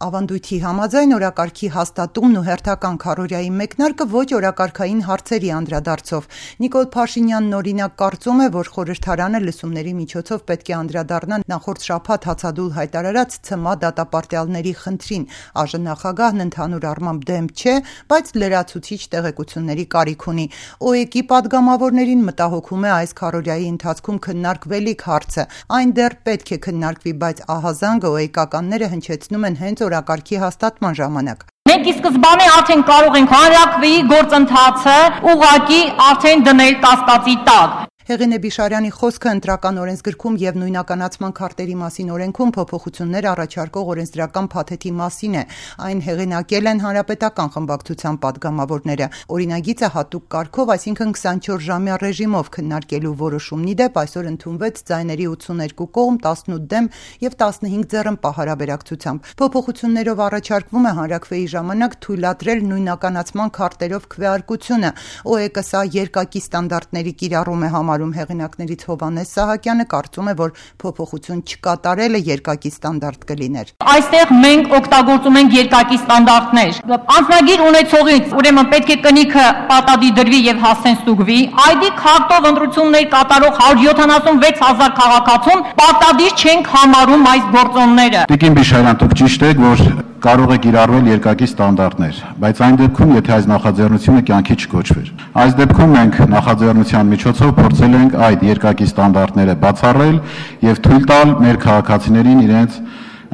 Ավանդույթի համաձայն օրակարգի հաստատումն ու հերթական քարոզիայի մեկնարկը ոչ օրակարգային հարցերի անդրադարձով։ Նիկոլ Փաշինյանն օրինակ կարծում է, որ խորհրդարանը լսումների միջոցով պետք է անդրադառնա նախորդ շաբաթ հացադուլ հայտարարած ՑՄԱ դատապարտյալների խնդրին։ ԱԺ նախագահն ընդհանուր առմամբ դեմ չէ, բայց լրացուցիչ տեղեկությունների կարիք ունի։ ՕԵԿ-ի падգամավորներին մտահոգում է այս քարոզիայի ընթացքում քննարկվելիք հարցը։ Այն դեռ պետք է քննարկվի, բայց ահազանգը ՕԵԿ-ականները հնչեցնում են հենց օրակարգի հաստատման ժամանակ։ Մենք ի սկզբանե արդեն կարող ենք հանրաքվեի գործընթացը ուղղակի արդեն դնել կասկածի տակ։ Հեղինե Բիշարյանի խոսքը ընտրական օրենսգրքում եւ նույնականացման քարտերի մասին օրենքում փոփոխություններ առաջարկող օրենսդրական փաթեթի մասին է։ Այն հեղինակել են հանրապետական խմբակցության падգամավորները։ Օրինագիծը հատուկ կարգով, այսինքն 24-ժամյա ռեժիմով քննարկելու որոշումն ի դեպ այսօր ընդունվեց ձայների 82 կողմ, 18 դեմ եւ 15 ձեռնպահ հարաբերակցությամբ։ Փոփոխություններով առաջարկվում է հանրաքվեի ժամանակ թույլատրել նույնականացման քարտերով քվեարկությունը։ ՕԵԿ-ը սա երկակի ստանդարտների կիրառում է համարում հեղինակներից Հովհաննես Սահակյանը կարծում է, որ փոփոխություն չկատարելը երկակի ստանդարտ կլիներ։ Այստեղ մենք օգտագործում ենք երկակի ստանդարտներ։ Անձնագիր ունեցողից ուրեմն պետք է կնիքը պատադի դրվի եւ հասցեն ստուգվի։ ID քարտով ընտրություններ կատարող 176,000 քաղաքացուն պատադիր չենք համարում այս գործոնները։ Տիկին Բիշարյան, դուք ճիշտ եք, որ կարող է կիրառվել երկակի ստանդարտներ, բայց այն դեպքում, եթե այս նախաձեռնությունը կյանքի չկոչվեր։ Այս դեպքում մենք նախաձեռնության միջոցով փորձել ենք այդ երկակի ստանդարտները բացառել եւ թույլ տալ մեր քաղաքացիներին իրենց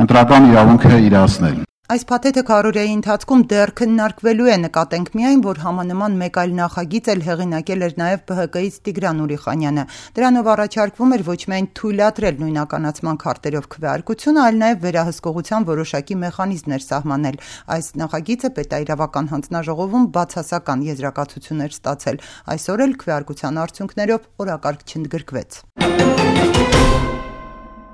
ընտրական իրավունքը իրացնել։ Այս փաթեթը քարոզիայի ընթացքում դեռ քննարկվելու է, նկատենք միայն, որ համանման մեկ այլ նախագիծ էլ հեղինակել էր նաև ԲՀԿ-ից Տիգրան Ուրիխանյանը։ Դրանով առաջարկվում էր ոչ միայն թույլատրել նույնականացման քարտերով քվեարկությունը, այլ նաև վերահսկողության որոշակի մեխանիզմներ սահմանել։ Այս նախագիծը պետաիրավական հանձնաժողովում բացասական եզրակացություններ ստացել։ Այսօր էլ քվեարկության արդյունքներով օրակարգ չընդգրկվեց։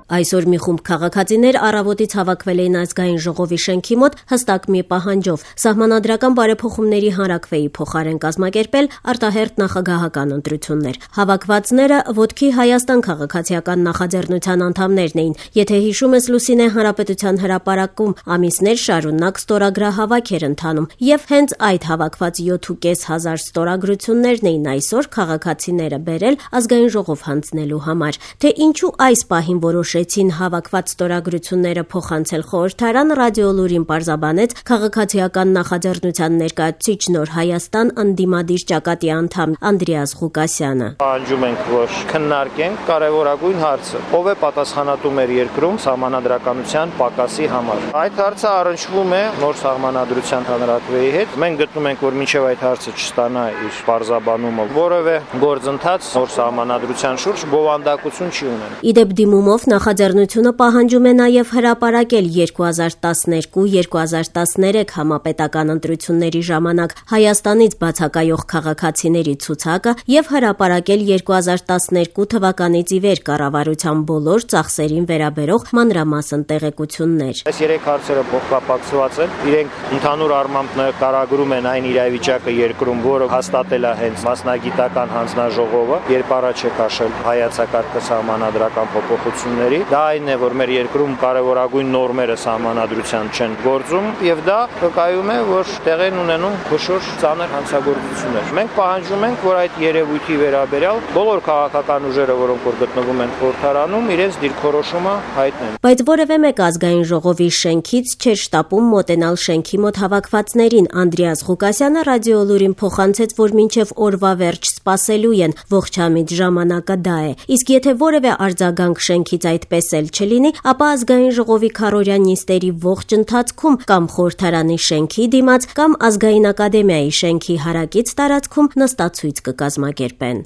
Այսօր մի խումբ քաղաքացիներ առավոտից հավաքվել էին ազգային ժողովի շենքի մոտ հստակ մի պահանջով՝ սահմանադրական բարեփոխումների հանրաքվեի փոխարեն կազմակերպել արտահերթ նախագահական ընտրություններ։ Հավաքվածները ոտքի Հայաստան քաղաքացիական նախաձեռնության անդամներն էին։ Եթե հիշում ես, Լուսինե, Հանրապետության հրապարակում ամիսներ շարունակ ստորագրահավաք էր ընթանում, եւ հենց այդ հավաքված 7,500 ստորագրություններն էին այսօր քաղաքացիները բերել ազգային ժողով հանձնելու համար։ Թե ինչու այս պահին որոշեցին հավաքված ստորագրությունները փոխանցել խորհրդարան, Ռադիոլուրին պարզաբանեց քաղաքացիական նախաձեռնության ներկայացուցիչ Նոր Հայաստան ընդդիմադիր ճակատի անդամ Անդրեաս Ղուկասյանը։ Պահանջում ենք, որ քննարկենք կարևորագույն հարցը՝ ով է պատասխանատու մեր երկրում սահմանադրականության պակասի համար։ Այդ հարցը առնչվում է նոր սահմանադրության հանրաքվեի հետ։ Մենք գտնում ենք, որ մինչև այդ հարցը չստանա իր պարզաբանումը, որևէ գործընթաց նոր սահմանադրության շուրջ բովանդակություն չի ունենա։ Իդեպ դիմումով նախաձեռնությունը պահանջում է նաև հրապարակել 2012-2013 համապետական ընտրությունների ժամանակ Հայաստանից բացակայող քաղաքացիների ցուցակը եւ հրապարակել 2012 թվականից ի վեր կառավարության բոլոր ծախսերին վերաբերող մանրամասն տեղեկություններ։ Այս երեք հարցերը փոխկապակցված են, իրենք ընդհանուր առմամբ նկարագրում են այն իրավիճակը երկրում, որը հաստատել է հենց մասնագիտական հանձնաժողովը, երբ առաջ է քաշել հայացակարգը սահմանադրական փոփոխությունների։ Դա այն է, որ մեր երկրում կարևորագույն նորմերը սահմանադրության չեն գործում, եւ դա վկայում է, որ տեղ են ունենում խոշոր ծանր հանցագործություններ։ Մենք պահանջում ենք, որ այդ երևույթի վերաբերյալ բոլոր քաղաքական ուժերը, որոնք որ գտնվում են խորհրդարանում, իրենց դիրքորոշումը հայտնեն։ Բայց որևէ մեկ ազգային ժողովի շենքից չէր շտապում մոտենալ շենքի մոտ հավաքվածներին։ Անդրեաս Ղուկասյանը Ռադիոլուրին փոխանցեց, որ մինչև օրվա վերջ սպասելու են, ողջամիտ ժամանակը դա է։ Իսկ եթե որևէ արձագանք շենքից այդպես էլ չլինի, ապա ազգային ժողովի քարոզիա նիստերի ողջ ընթացքում կամ խորհրդարանի շենքի դիմաց, կամ ազգային ակադեմիայի շենքի հարակից տարածքում նստացույց կկազմակերպեն։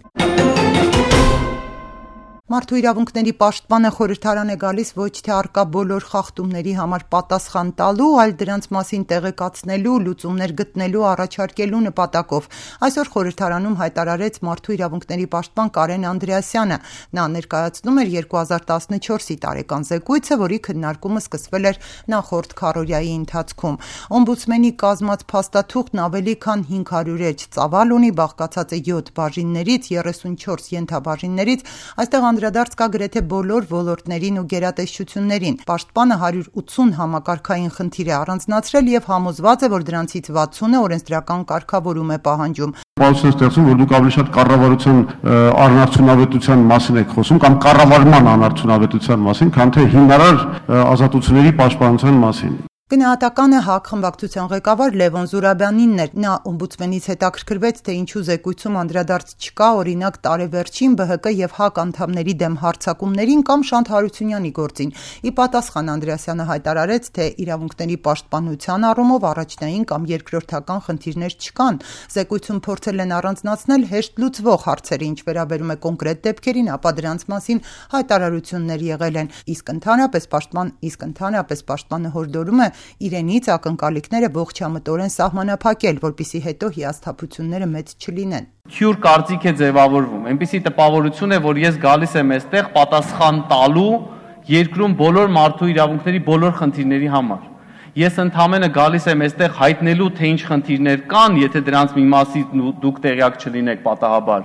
Մարդու իրավունքների պաշտպանը խորհրդարան է գալիս ոչ թե առկա բոլոր խախտումների համար պատասխան տալու, այլ դրանց մասին տեղեկացնելու, լուծումներ գտնելու, առաջարկելու նպատակով։ Այսօր խորհրդարանում հայտարարեց մարդու իրավունքների պաշտպան Կարեն Անդրեասյանը։ Նա ներկայացնում էր 2014-ի տարեկան զեկույցը, որի քննարկումը սկսվել էր նախորդ քարոզիայի ընթացքում։ Օմբուդսմենի կազմած փաստաթուղթն ավելի քան 500 էջ ծավալ ունի, բաղկացած է 7 բաժիններից, 34 ենթաբաժիններից։ Այստեղ անդրադարձ կա գրեթե բոլոր ոլորտներին ու գերատեսչություններին։ Պաշտպանը 180 համակարգային խնդիր է առանձնացրել եւ համոզված է, որ դրանցից 60-ը օրենսդրական կարգավորում է պահանջում։ Պարզություն ստեղծում, որ դուք ավելի շատ կառավարության անարդյունավետության մասին եք խոսում կամ կառավարման անարդյունավետության մասին, քան թե հիմնարար ազատությունների պաշտպանության մասին։ Գնահատականը ՀԱԿ խմբակցության ղեկավար Լևոն Զուրաբյանինն էր։ Նա օմբուդսմենից հետաքրքրվեց, թե ինչու զեկույցում անդրադարձ չկա, օրինակ, տարեվերջին ԲՀԿ եւ ՀԱԿ անդամների դեմ հարձակումներին կամ Շանթ Հարությունյանի գործին։ Ի պատասխան Անդրեասյանը հայտարարեց, թե իրավունքների պաշտպանության առումով առաջնային կամ երկրորդական խնդիրներ չկան։ Զեկույցում փորձել են առանձնացնել հեշտ լուծվող հարցերը, ինչ վերաբերում է կոնկրետ դեպքերին, ապա դրանց մասին հայտարարություններ եղել են։ Իսկ ընդհանրապես պաշտպանը հորդորում է իրենից ակնկալիքները ողջամտորեն սահմանափակել, որպեսզի հետո հիասթափությունները մեծ չլինեն։ Քյուր կարծիք է ձևավորվում, այնպիսի տպավորություն է, որ ես գալիս եմ այստեղ պատասխան տալու երկրում բոլոր մարդու իրավունքների բոլոր խնդիրների համար։ Ես ընդհանրապես գալիս եմ այստեղ հայտնելու, թե ինչ խնդիրներ կան, եթե դրանց մի մասից դուք տեղյակ չլինեք պատահաբար։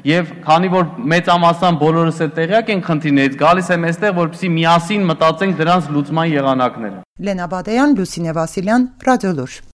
Եվ քանի որ մեծամասամբ բոլորս էլ տեղյակ ենք խնդիրներից, գալիս եմ այստեղ, որպեսզի միասին մտածենք դրանց լուծման եղանակները։ Լենա Բադեյան, Լուսինե Վասիլյան, Ռադիոլուր։